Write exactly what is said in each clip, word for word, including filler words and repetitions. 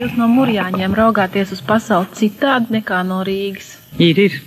Jūs no Murjāņiem raugāties uz pasauli citādi nekā no Rīgas? Ir, ir.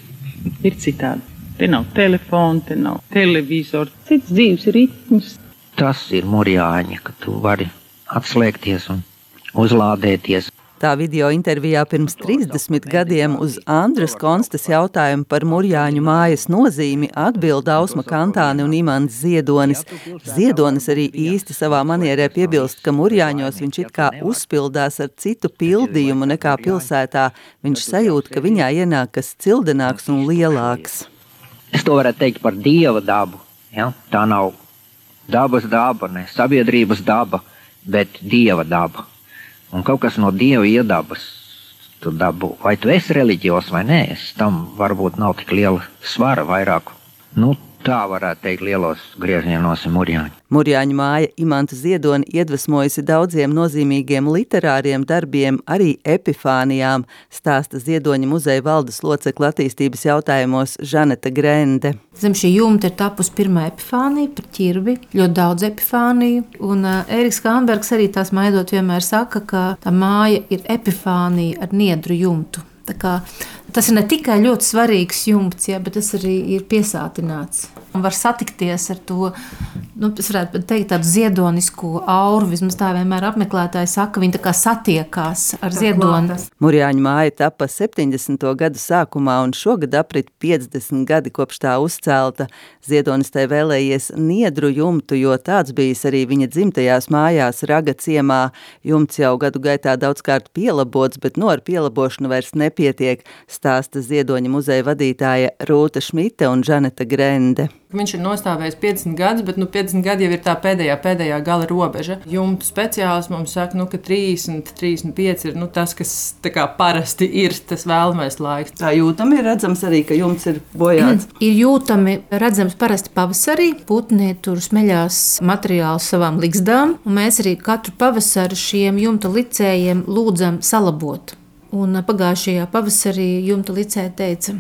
Ir citādi. Te nav telefona, te nav televizora, cits dzīves ritms. Tas ir Murjāņi, ka tu vari atslēgties un uzlādēties. Tā video intervijā pirms trīsdesmit gadiem uz Andras Konstas jautājumu par Murjāņu mājas nozīmi atbild Ausma Kantāne un Imants Ziedonis. Ziedonis arī īsti savā manierē piebilst, ka Murjāņos viņš it kā uzpildās ar citu pildījumu nekā pilsētā. Viņš sajūt, ka viņā ienāk kas cildenāks un lielāks. Es to varētu teikt par dieva dabu. Ja? Tā nav dabas daba, ne sabiedrības daba, bet dieva daba. Un kaut kas no dieva iedabas tu dabu. Vai tu esi reliģijos vai nē, es tam varbūt nav tik liela svara vairāku. Nu, tā varētu teikt lielos griežņienos ir Murjāņi. Murjāņu māja Imantu Ziedoni iedvesmojusi daudziem nozīmīgiem literāriem darbiem, arī epifānijām, stāsta Ziedoņa muzeja valdes locekla attīstības jautājumos Žaneta Grende. Zem šī jumta ir tapusi pirmā epifānija par ķirbi, ļoti daudz epifāniju, un uh, Ēriks Kānbergs arī tās maidot vienmēr saka, ka tā māja ir epifānija ar niedru jumtu. Tā kā, tas ir ne tikai ļoti svarīgs jumts, ja, bet tas arī ir piesātināts. Un var satikties ar to, nu, es varētu teikt, tādu ziedonisku auru, vismaz tā vienmēr apmeklētāji saka, viņi tā kā satiekās ar ziedoni. Murjāņu māja tapa septiņdesmito gadu sākumā un šogad aprit piecdesmit gadi kopš tā uzcelta. Ziedonis tai vēlējies niedru jumtu, jo tāds bijis arī viņa dzimtajās mājās Raga ciemā. Jumts jau gadu gaitā daudzkārt pielabots, bet no ar pielabošanu vairs nepietiek, stāsta Ziedoņa muzeja vadītāja Rūta Šmite un Žaneta Grende. Viņš ir nostāvējis piecdesmit gadus, bet nu, piecdesmit gadi jau ir tā pēdējā, pēdējā gala robeža. Jumtu speciālists mums saka, nu, ka trīsdesmit, trīsdesmit pieci ir nu, tas, kas tā kā parasti ir tas vēlamais laiks. Tā jūtami ir redzams arī, ka jumts ir bojāts. Mm, ir jūtami redzams parasti pavasarī. Putni tur smeļās materiālus savām ligzdām, un mēs arī katru pavasaru šiem jumta licējiem lūdzam salabot. Un pagājušajā pavasarī jumta licēja teica,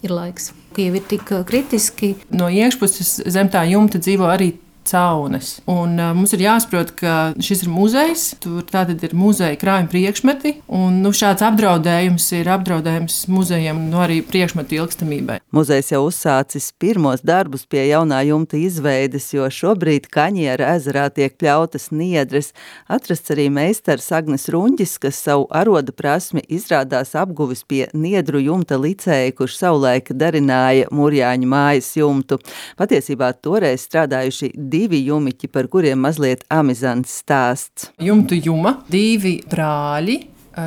ir laiks, ka jau ir tik kritiski. No iekšpuses zem tā jumta dzīvo arī caunes. Un uh, mums ir jāsaprot, ka šis ir muzejs, tur tātad ir muzeja krājuma priekšmeti, un nu, šāds apdraudējums ir apdraudējums muzejam, nu arī priekšmetu ilgstamībai. Muzejs jau uzsācis pirmos darbus pie jaunā jumta izveides, jo šobrīd Kaņiera ezerā tiek pļautas niedres. Atrasts arī meistars Agnes Ruņģis, kas savu aroda prasmi izrādās apguvis pie niedru jumta licēja, kurš savulaik darināja Murjāņu mājas jumtu. Patiesībā toreiz strādājuši divi jumiķi, par kuriem mazliet amizants stāsts. Jumtu juma, divi brāļi,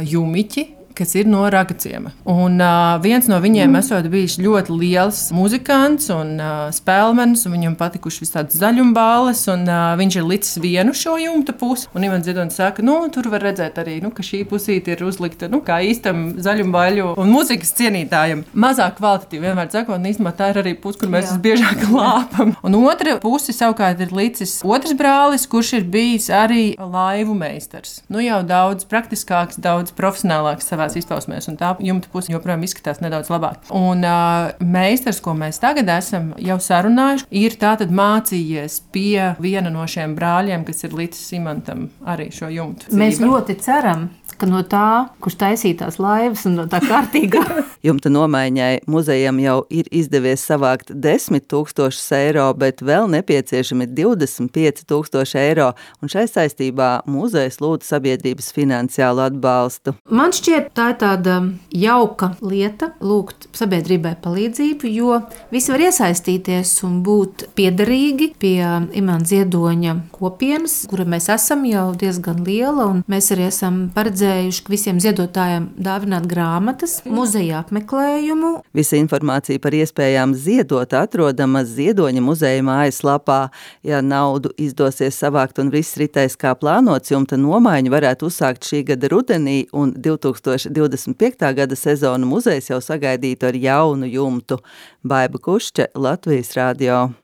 jumiķi, kas ir no Raga ciema. Un uh, viens no viņiem esot bijis ļoti liels muzikants un uh, spēlmenis, un viņam patikuši vis tādas zaļumbāles, un uh, viņš ir licis vienu šo jumta pusi. Un Imants Ziedonis saka, nu, tur var redzēt arī, nu, ka šī pusīte ir uzlikta, nu, kā īstam zaļumbāļu un muzikas cienītājam. Mazāk kvalitatīvi, vienmēr sakot, un īstenībā tā ir arī puse, kur mēs visbiežāk lāpam. Un otra pusi savukārt ir licis otrs brālis, kurš ir bijis arī laivu meistars. Nu, jau daudz praktiskāks, daudz profesionālāks savās izpausmēs, un tā jumta puse joprojām izskatās nedaudz labāk. Un uh, meistars, ko mēs tagad esam jau sarunājuši, ir tātad mācījies pie viena no šiem brāļiem, kas ir licis Imantam arī šo jumtu. Mēs ļoti ceram, ka no tā, kurš taisītās laivas un no tā kārtīgā. Jumta nomaiņai muzejam jau ir izdevies savākt desmit tūkstošus eiro, bet vēl nepieciešami divdesmit pieci tūkstoši eiro, un šai saistībā muzejs lūdz sabiedrības finansiālu atbalstu. Man šķiet, tā ir tāda jauka lieta lūgt sabiedrībai palīdzību, jo visi var iesaistīties un būt piederīgi pie Imanta Ziedoņa kopienas, kura mēs esam jau diezgan liela, un mēs arī esam paredzējuši visiem ziedotājiem dāvināt grāmatas, muzeja apmeklējumu. Visa informācija par iespējām ziedot atrodama Ziedoņa muzeja mājaslapā. Ja naudu izdosies savākt un viss ritēs kā plānots, jumta nomaiņu varētu uzsākt šī gada rudenī, un divi tūkstoši divdesmit piektā gada sezonu muzejs jau sagaidītu ar jaunu jumtu. Baiba Kušče, Latvijas radio.